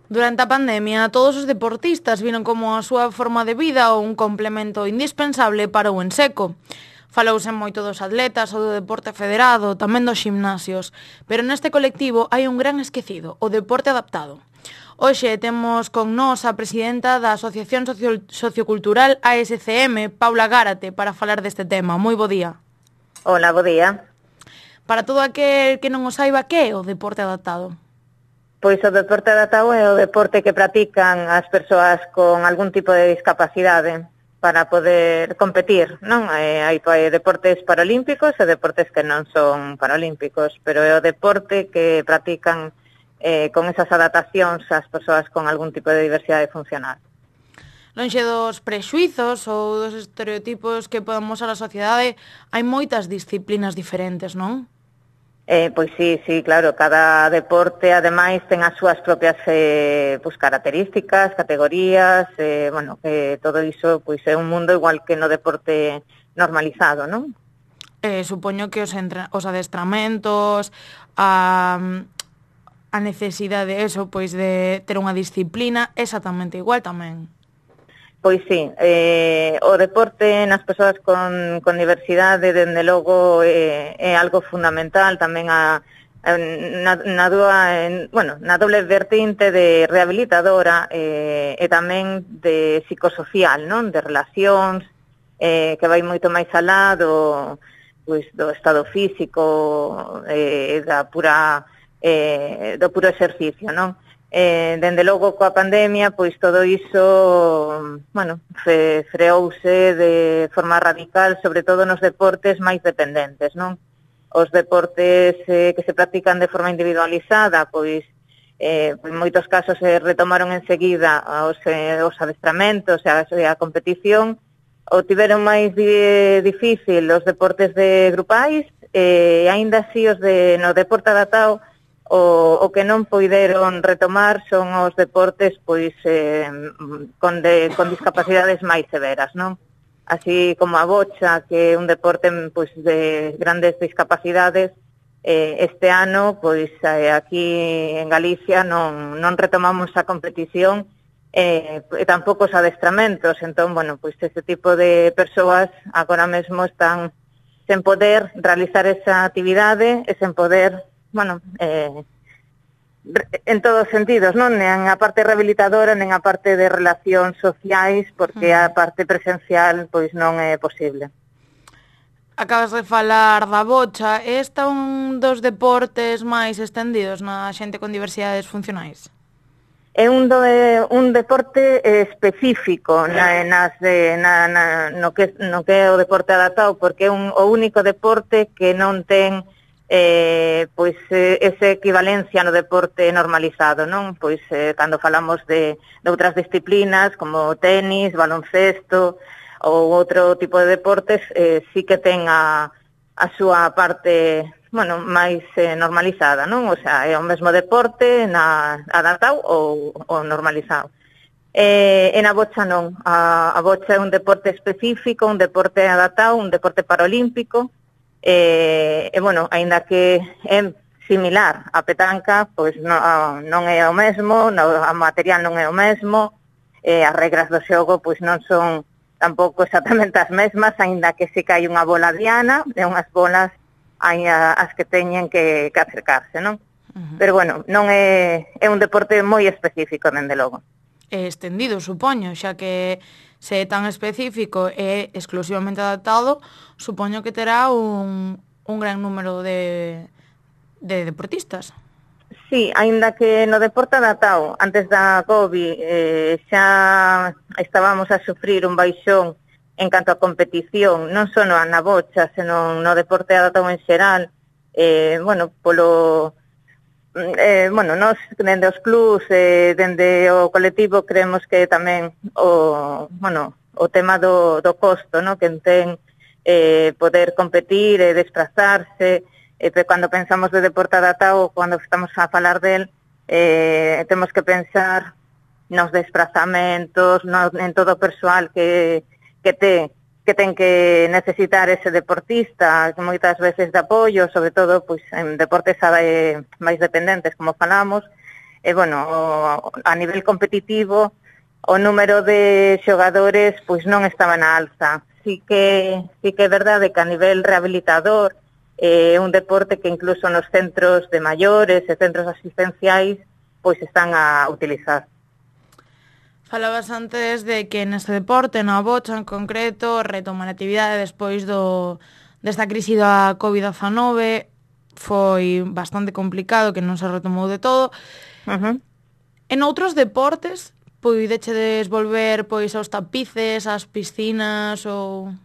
Durante a pandemia, todos os deportistas viron como a súa forma de vida un complemento indispensable para o enseco. Falouse moito dos atletas ou do deporte federado, tamén dos gimnasios, pero neste colectivo hai un gran esquecido, o deporte adaptado. Hoxe temos con nós a presidenta da Asociación Sociocultural ASCM, Paula Gárate, para falar deste tema. Moi bo día. Hola, bo día. Para todo aquel que non o saiba, que é o deporte adaptado? Pois o deporte adaptado é o deporte que practican as persoas con algún tipo de discapacidade para poder competir, non? Hai deportes paralímpicos e deportes que non son paralímpicos, pero é o deporte que practican con esas adaptacións as persoas con algún tipo de diversidade funcional. Lonxe dos prexuizos ou dos estereotipos que podemos a sociedade, hai moitas disciplinas diferentes, non? Pois sí, claro, cada deporte ademais ten as súas propias características, categorías, todo iso pois é un mundo igual que no deporte normalizado, non? Supoño que os adestramentos, a necesidade eso, pois de ter unha disciplina exactamente igual tamén. Pois sí, o deporte nas persoas con diversidade, dende logo, é algo fundamental tamén na doble vertente de rehabilitadora e tamén de psicosocial, non? De relacións, que vai moito máis alá do estado físico, do puro exercicio, non? Dende logo coa pandemia, pois todo iso, freouse de forma radical, sobre todo nos deportes máis dependentes, non? Os deportes que se practican de forma individualizada, pois en moitos casos se retomaron enseguida os adestramentos e a competición, ou tiveron máis difícil os deportes de grupais, e aínda así os no deporte adaptado, o que non poideron retomar son os deportes pois con discapacidades máis severas, non? Así como a bocha, que é un deporte pois de grandes discapacidades, este ano pois aquí en Galicia non retomamos a competición e tampouco os adestramentos, entón, pois ese tipo de persoas agora mesmo están sen poder realizar esa actividade e sen poder en todos os sentidos, non? Nen a parte rehabilitadora, nen a parte de relacións sociais, porque a parte presencial pois non é posible. Acabas de falar da bocha, esta é un dos deportes máis estendidos na xente con diversidades funcionais? É un deporte específico no que é o deporte adaptado, porque é o único deporte que non ten esa equivalencia no deporte normalizado, non? Pois cando falamos de outras disciplinas como tenis, baloncesto ou outro tipo de deportes, sí que ten a súa parte, máis normalizada, non? O sea, é o mesmo deporte adaptado ou normalizado. E na bocha non. A bocha é un deporte específico, un deporte adaptado, un deporte paralímpico, aínda que é similar a petanca, pois non é o mesmo, o material non é o mesmo, as regras do xogo pois non son tampouco exactamente as mesmas, aínda que se hai unha bola diana e unhas bolas as que teñen que acercarse, non? Pero non é un deporte moi específico, dende logo. É estendido, supoño, xa que se é tan específico e exclusivamente adaptado, supoño que terá un gran número de deportistas. Sí, aínda que no deporte adaptado, antes da COVID, xa estábamos a sufrir un baixón en canto a competición, non só na bocha, senón no deporte adaptado en xeral, nos dende os clubs, dende o colectivo, creemos que tamén o tema do costo, no? Que ten poder competir e desplazarse, cando pensamos de deporte adaptado, cando estamos a falar del, temos que pensar nos desplazamentos, en todo o persoal que ten que necesitar ese deportista, moitas veces de apoio, sobre todo pois en deportes máis dependentes, como falamos, a nivel competitivo o número de xogadores pois non estaba na alza. Sí que é verdade que a nivel rehabilitador é un deporte que incluso nos centros de maiores e centros asistenciais pois están a utilizar. Falabas antes de que neste deporte, na bocha en concreto, retomar a actividade despois desta crise da COVID-19 foi bastante complicado, que non se retomou de todo. En outros deportes, poidechedes volver pois aos tapices, ás piscinas ou...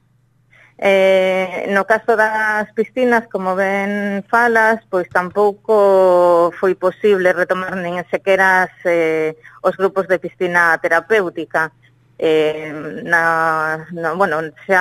No caso das piscinas, como ben falas, pois tampouco foi posible retomar nin sequera os grupos de piscina terapéutica. Xa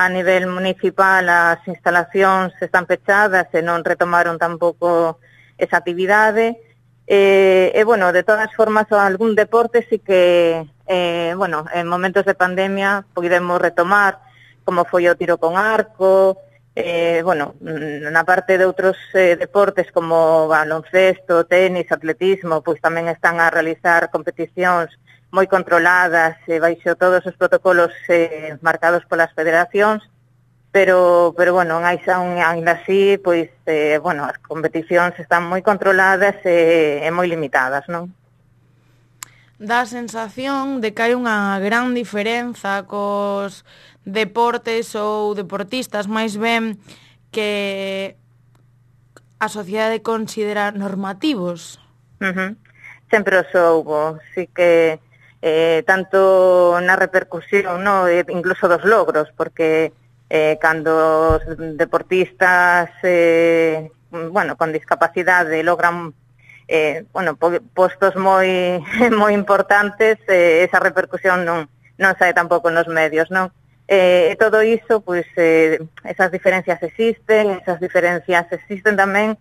a nivel municipal as instalacións están pechadas e non retomaron tampouco esa actividade. De todas formas, algún deporte sí que, en momentos de pandemia podemos retomar, como foi o tiro con arco, na parte de outros deportes como baloncesto, tenis, atletismo, pois tamén están a realizar competicións moi controladas, baixo todos os protocolos marcados polas federacións, pero ainda así, pois, as competicións están moi controladas e moi limitadas, non? Dá a sensación de que hai unha gran diferenza cos deportes ou deportistas, máis ben que a sociedade considera normativos. Sempre os houbo, sí que tanto na repercusión, no, incluso dos logros, porque cando os deportistas con discapacidade logran postos moi importantes, esa repercusión non sae tampouco nos medios, non? Todo iso, pois, esas diferencias existen tamén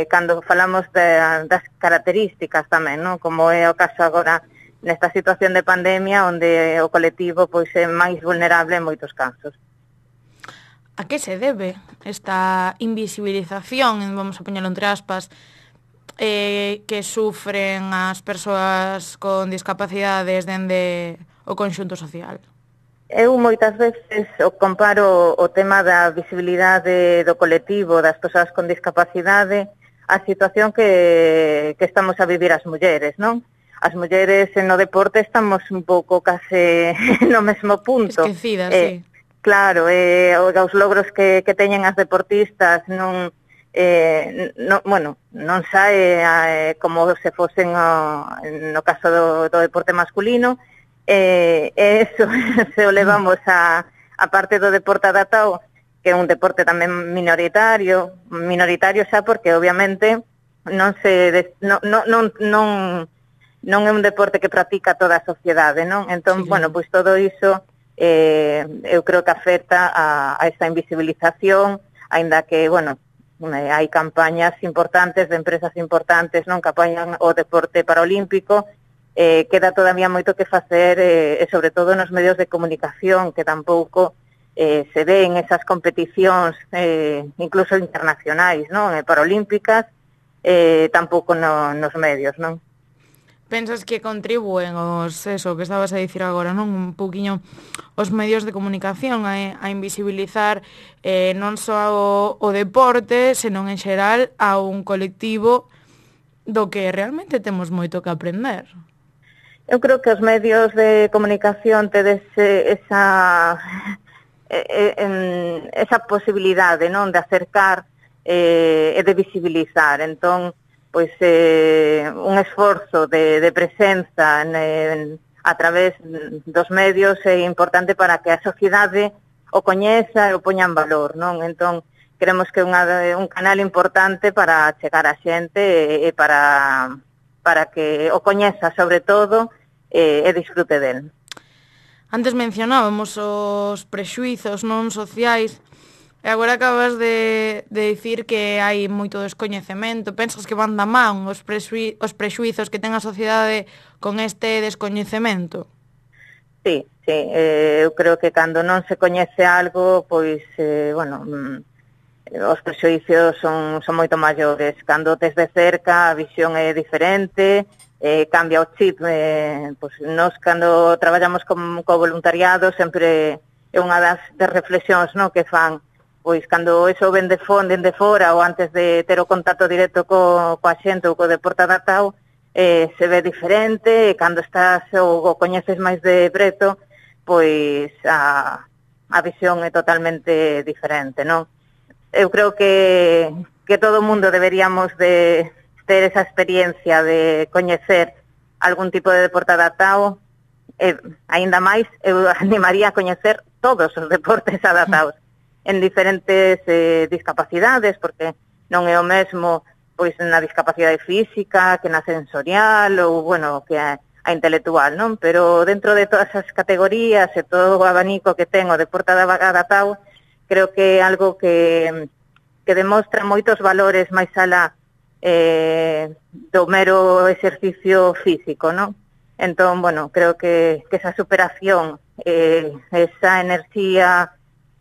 cando falamos das características tamén, non? Como é o caso agora nesta situación de pandemia, onde o colectivo pois é máis vulnerable en moitos casos. A que se debe esta invisibilización, vamos a poñelo entre aspas, que sufren as persoas con discapacidades dende o conxunto social? Eu moitas veces comparo o tema da visibilidade do colectivo das persoas con discapacidade á situación que estamos a vivir as mulleres, non? As mulleres no deporte estamos un pouco case no mesmo punto. Esquecidas, sí. Claro, os logros que teñen as deportistas non sae como se fosen no caso do deporte masculino. Eso se o levamos a parte do deporte adaptado, que é un deporte tamén minoritario xa porque obviamente non é un deporte que practica toda a sociedade, non? Entón, sí, pois todo iso eu creo que afecta a esa invisibilización, aínda que, hai campañas importantes de empresas importantes, non, que apoian o deporte paralímpico. Queda todavía moito que facer, e sobre todo nos medios de comunicación, que tampouco se ven esas competicións, incluso internacionais, non? Paralímpicas, tampouco nos medios, non? Pensas que contribúen eso que estabas a dicir agora, non? Un pouquiño os medios de comunicación a invisibilizar non só o deporte, senón en xeral a un colectivo do que realmente temos moito que aprender. Eu creo que os medios de comunicación tedes esa posibilidade, non, de acercar e de visibilizar. Entón, pois un esforzo de presenza a través dos medios é importante para que a sociedade o coñeza e o poña en valor, non? Entón, creemos que é un canal importante para chegar a xente e para que o coñeza sobre todo e disfrute del. Antes mencionábamos os prexuizos non sociais e agora acabas de dicir que hai moito descoñecemento. Pensas que van da man os prexuizos que ten a sociedade con este descoñecemento? Sí, eu creo que cando non se coñece algo, pois, os prexuicios son moito maiores. Cando tes de cerca, a visión é diferente, cambia o chip. Pois nós, cando traballamos co voluntariado, sempre é unha das reflexións, no, que fan. Pois cando eso ven de fora ou antes de ter o contacto directo coa xente ou co deporte adaptado, se ve diferente, e cando estás ou coñeces máis de preto, pois a visión é totalmente diferente, non? Eu creo que todo o mundo deberíamos de ter esa experiencia de coñecer algún tipo de deporte adaptado, aínda máis, eu animaría a coñecer todos os deportes adaptados en diferentes discapacidades, porque non é o mesmo pois na discapacidade física que na sensorial ou, bueno, que a intelectual, non? Pero dentro de todas as categorías e todo o abanico que ten o deporte adaptado, creo que é algo que demostra moitos valores máis alá do mero exercicio físico, non? Entón, bueno, creo que esa superación, esa enerxía,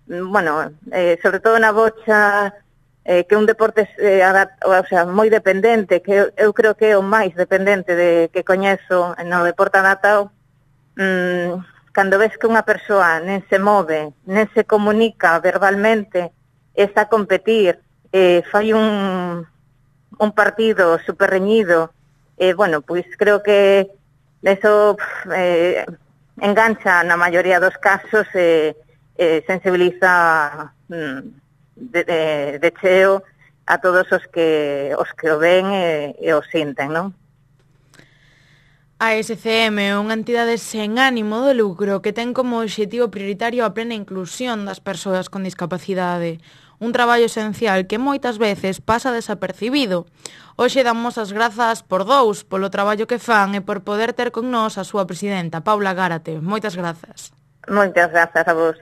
bueno, sobre todo na bocha, que un deporte moi dependente, que eu creo que é o máis dependente que coñezo no deporte adaptado. Cando ves que unha persoa nen se move, nen se comunica verbalmente, está a competir, fai un partido super reñido, bueno, pois creo que eso engancha na maioría dos casos, sensibiliza de cheo a todos os que o ven e o sinten, non? A SCM é unha entidade sen ánimo de lucro que ten como obxectivo prioritario a plena inclusión das persoas con discapacidade, un traballo esencial que moitas veces pasa desapercibido. Hoxe damos as grazas por dous polo traballo que fan e por poder ter con nós a súa presidenta, Paula Gárate. Moitas grazas. Moitas grazas a vos.